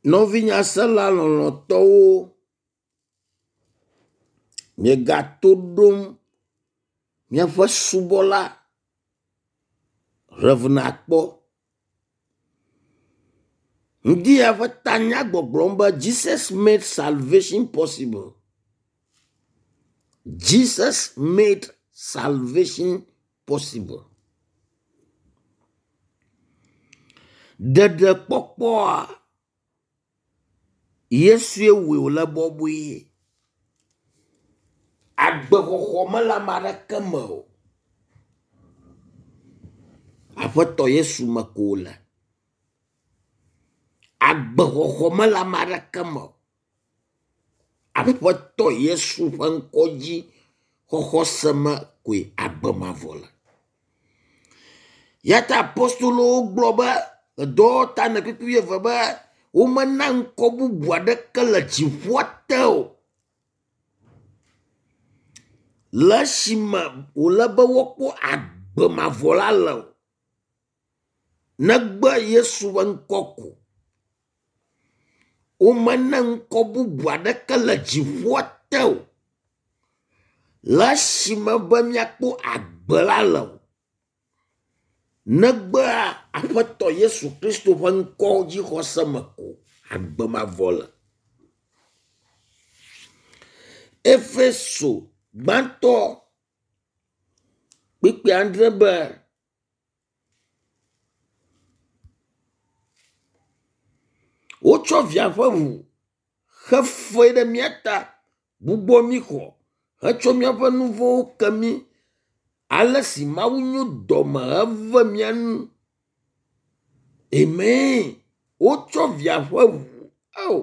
Nɔvinyasela lɔlɔ̃tɔwo, miegato ɖom míaƒe subɔla Rev. Akpɔ. Ŋdi ya ƒe tanya gbɔgblɔm be Jesus made salvation possible. Jesus made salvation possible. Ɖeɖekpɔkpɔa Yesue wɔe wòle bɔbɔe. Agbexɔxɔ mele ame aɖeke me o. Aƒetɔ Yesu me ko wòle. Agbexɔxɔ mele ame aɖeke me o. Aƒetɔ Yesu ƒe ŋkɔ dzi xɔxɔ se me koe agbe mavɔ le. Ya ta apostolowo gblɔ be edɔwɔta ne kpukpui wuieve be womena ŋkɔ bubu aɖeke le dziƒoa te o. Le esime wòle be woakpɔ agbe mavɔ la le o. Negbe Yesu ƒe ŋkɔ ko. Womena ŋkɔ bubu aɖeke le dziƒoa te o. Le esime be míakpɔ agbe la le o. Negbe Aƒetɔ Yesu Kristo ƒe ŋkɔ dzixɔse me ko agbe mavɔ le. Efeso gbãtɔ kpukpui adre be wotsɔ via ƒe ʋu xe fe ɖe mía ta gbugbɔ mí xɔ hetsɔ míaƒe nu vɔ̃wo ke mí ale si Mawu nyo dɔme heve mía nu. Amen. Wotsɔ via ƒe ʋu ao.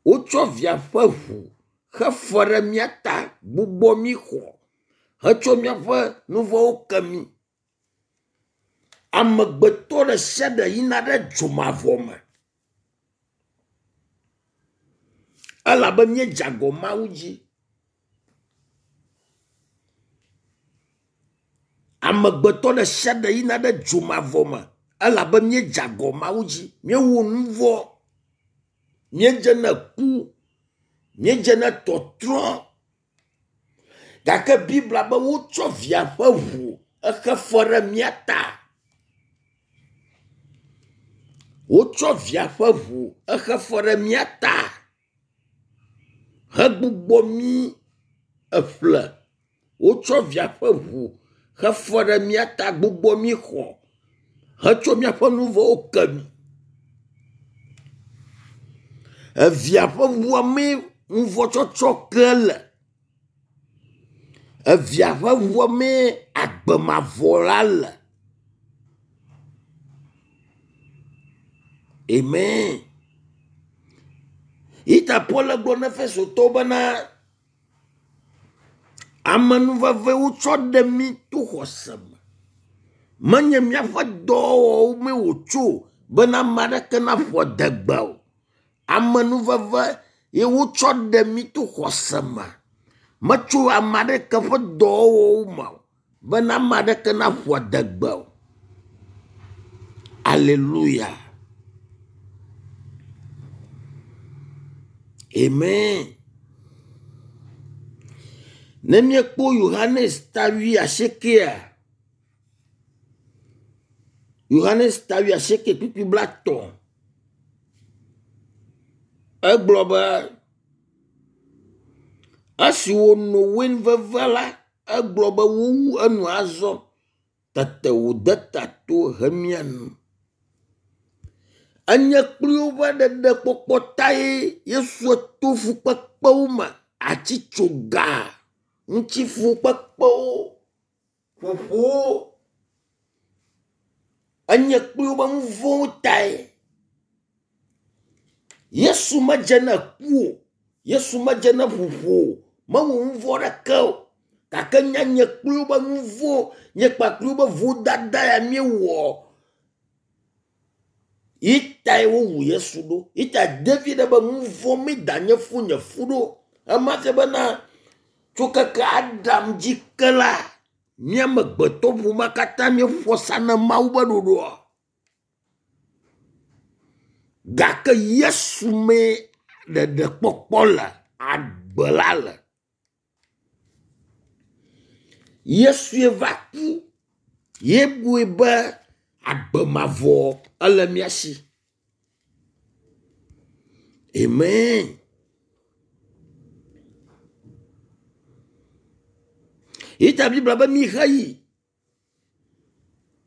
Wotsɔ via ƒe ʋu xe fe ɖe mía ta gbugbɔ mí xɔ hetsɔ míaƒe nu vɔ̃wo ke mí. Amegbetɔ ɖe sia ɖe yina ɖe dzomavɔ me. Elabe míedze agɔ Mawu dzi. Amegbetɔ ɖe sia ɖe yina ɖe dzomavɔ me elabe míedze agɔ Mawu dzi. Míewɔ nu vɔ̃. Míedze na ku. Míedze na tɔtrɔ. Gake Biblia be wotsɔ via ƒe ʋu exe fe ɖe mía ta. Wotsɔ via ƒe ʋu exe fe ɖe mía ta hegbugbɔ mí eƒle. Wotsɔ via ƒe ʋu xe fe ɖe mía ta gbugbɔ mí xɔ hetsɔ míaƒe nu vɔ̃wo ke mí. Evia ƒe ʋua mee nuvɔ̃tsɔtsɔ ke le. Evia ƒe ʋua mee agbe mavɔ la le. Amen. Yi ta Paul gblɔ na Efesotɔwo bena amenuveve wotsɔ ɖe mí to xɔse me. Menye míaƒe dɔwɔwɔwo mee wòtso bena ame aɖeke naƒo adegbe o. Amenuveve ye wotsɔ ɖe mí to xɔse me. Metso ame aɖeke ƒe dɔwɔwɔwo me o bena ame aɖeke naƒo adegbe o. Aleluya. Amen. Ne míekpɔ Yohanes ta wuiasiekɛa, Yohanes ta wuiasieke kpukpui blaetɔ̃, egblɔ be esi wòno wein veve la, egblɔ be wowu enu azɔ. Tete wòde ta to hemia nu. Enye kpli woƒe ɖeɖekpɔkpɔ tae Yesu to fukpekpewo me, atitsoga ŋuti fukpekpewo, ƒoƒowo. Enye kpli woƒe nu vɔ̃wo tae. Yesu medze na ku o. Yesu medze na ƒoƒo o. Mewɔ nu vɔ̃ aɖeke o. Gake nya nye kpli woƒe nu vɔ̃, nye kpakple woƒe vodada ya míewɔ yi tae wowu Yesu ɖo. Yi ta David be nu vɔ̃ mi da nye fu nye fu ɖo. Ema fia bena tso keke Adam dzi ke la, mía amegbetɔ ƒomea katã míeƒo asa na Mawu ƒe ɖoɖoa. Gake Yesu mee ɖeɖekpɔkpɔ le, agbe la le. Yesue va ku ye bui be agbe mavɔ ele mía si. Amen. Yi ta Biblia be miheyi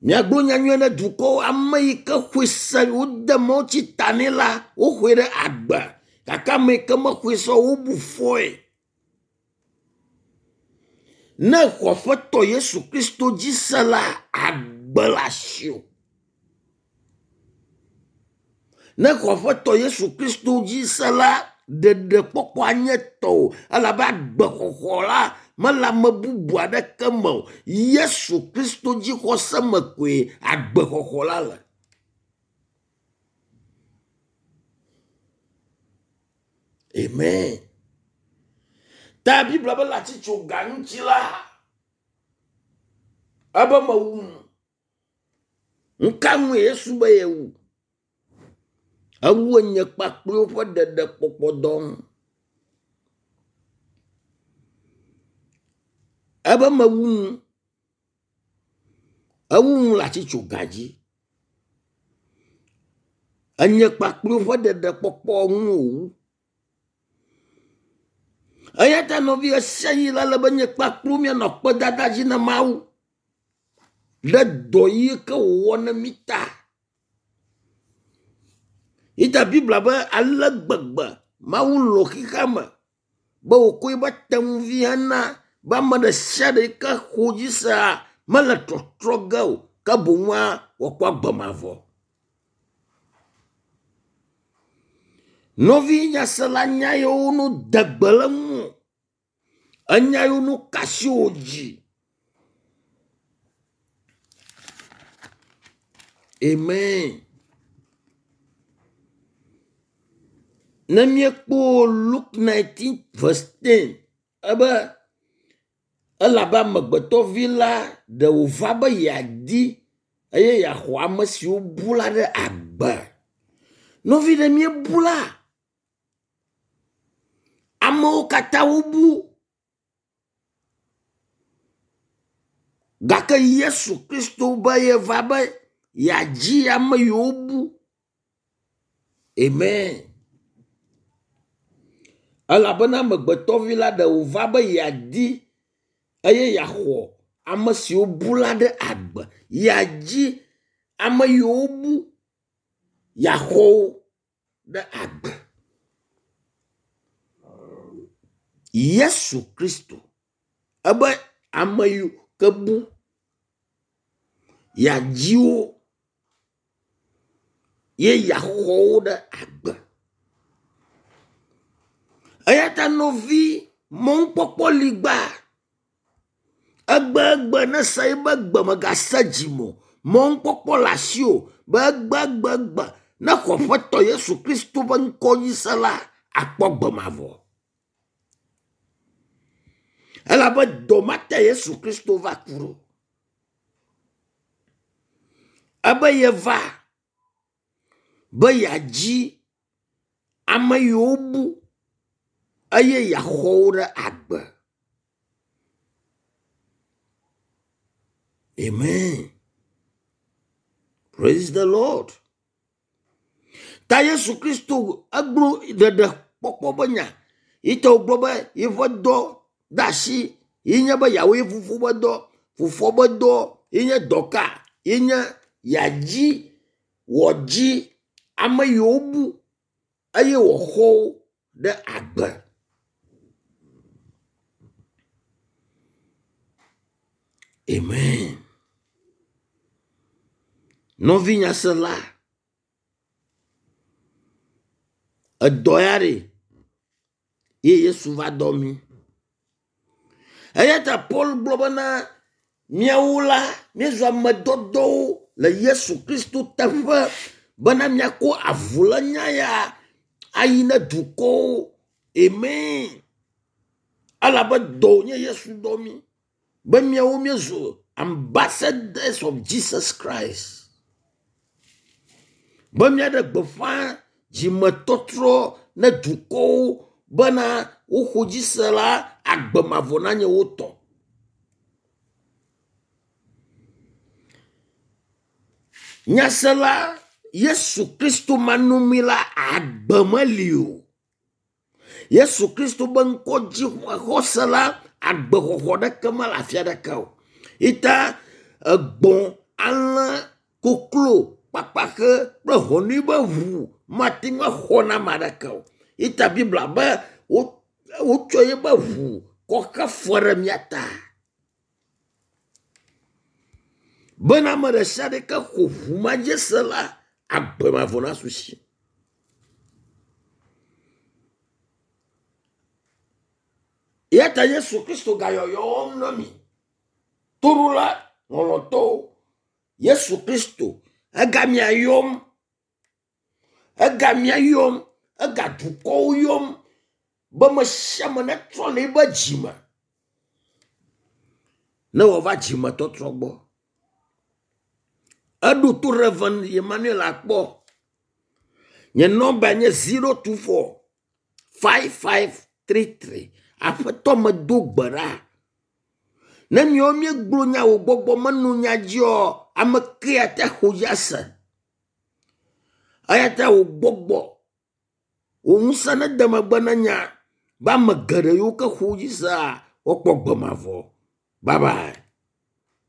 miagblɔ nyanyuie ne dukɔwo ame yi ke xɔe se wode mawutsi ta nɛ la woxɔe ɖe agbe gake ame yi ke mexɔe se o wobu fɔe. Ne exɔ Aƒetɔ Yesu Kristo dzi se la, agbe le asiwò. Ne exɔ Aƒetɔ Yesu Kristo dzi se la, ɖeɖekpɔkpɔ anye tɔwò elabe agbexɔxɔ la mele ame bubu aɖeke me o. Yesu Kristo dzixɔse me koe agbexɔxɔ la le. Amen. Ta Biblia be le atsitsoga ŋuti la, ebe mewu nu. Nuka ŋue Yesu be yewu? Ewu enye kpakple woƒe ɖeɖekpɔkpɔ dɔ ŋu. Ebe mewu nu. Ewu nu le atsitsoga dzi. Enye kpakple woƒe ɖeɖekpɔkpɔ ŋu wòwu. Eya ta nɔvi ɣesiaɣi la le be nye kpakple míanɔ akpedada dzi na Mawu ɖe dɔ yi ke wòwɔ na mí ta. Yi ta Biblia be ale gbegbe Mawu lɔ̃ xexea me be wòkɔ eƒe tenuvi hena be ame ɖe sia ɖe yi ke xɔ dzi sea mele trɔtrɔ ge o ke boŋua wòakpɔ agbe mavɔ. Nɔvi nyasela nya yiwo no de gbe le ŋu enya yiwo no ka asi wò dzi. Amen. Ne míekpɔ Luke 19 verse 10 ebe elabe amegbetɔvi la ɖe wòva be yeadi eye yeaxɔ ame siwo bu la ɖe agbe. Nɔvi ɖe míebu la, amewo katã wobu gake Yesu Kristo be yeva be yeadzi ame yiwo bu. Amen. Elabena amegbetɔvi la ɖe wòva be yeadi eye yeaxɔ ame siwo bu la ɖe agbe. Yeadzi ame yiwo bu, yeaxɔ wo ɖe agbe. Yesu Kristo ebe ame yiwo ke bu yeadzi wo ye yeaxɔ wo ɖe agbe. Eya ta nɔvi mɔnukpɔkpɔ li gbaa. Egbegbe ne se ebe gbe megase dzime o. Mɔnukpɔkpɔ le asiwò be egbegbegbe ne xɔ Aƒetɔ Yesu Kristo ƒe ŋkɔ dzi se la, akpɔ gbe mavɔ. Elabe dɔ ma te Yesu Kristo va ku ɖo. Ebe yeva be yeadzi ame yiwo bu eye yeaxɔ wo ɖe agbe. Amen. Praise the Lord. Ta Yesu Kristo egblɔ ɖeɖekpɔkpɔ be nya. Yi ta wògblɔ be yeƒe dɔ de asi ye nye be yeawɔ ye fofo be dɔ. Fofoa be dɔ ye nye dɔ ka? Ye nye yeadzi wòadzi ame yiwo bu eye wòaxɔ wo ɖe agbe. Amen. Nɔvi nyasela, edɔ ya ɖe ye Yesu va dɔ mí. Eya ta Paul gblɔ bena míawo la míezu ame dɔdɔwo le Yesu Kristo teƒe bena míako avu le nya ya ayi ne dukɔwo. Amen. Elabe dɔ wònye Yesu dɔ mí be míawo míezu ambassadors of Jesus Christ. Be míaɖe gbeƒã Dzimetɔtrɔ ne dukɔwo bena woxɔ dzi se la, agbe mavɔ nanye wo tɔ. Nyasela Yesu Kristo manɔmee la, agbe meli o. Yesu Kristo be ŋkɔ dzi xɔse la, agbexɔxɔ ɖeke mele afi aɖeke o. Ita egbɔ̃, alẽ, koklo, kpakpaxe kple hɔnui be ʋu mate ŋu axɔ na ame aɖeke o. Ita Biblia be wotsɔ yeƒe ʋu kɔ xe fe ɖe mía ta. Bena ame ɖe sia ɖe ke xɔ ʋu ma dzi se la, agbe mavɔ nasu si. Eya ta Yesu Kristo gayɔyɔm na mi. Toɖola lɔlɔ̃tɔwo, Yesu Kristo ega mia yɔm, ega mia yɔm, ega dukɔwo yɔm be me sia ame netrɔ le eƒe dzime ne wòava dzimetɔtrɔ gbɔ. Eɖo to Reverend Emmanuel akpɔ. Nye nɔmba nye 024 5533. Aƒetɔ medo gbe ɖa. Ne míawo míegblɔ nya wò gbɔgbɔ meno nya dziɔ, ame ke ate xɔ dzi ase. Eya ta wò gbɔgbɔ, wò ŋusẽ nede megbe na nya be ame geɖe yiwo ke xɔ dzi sea, woakpɔ gbe mavɔ. Bye bye.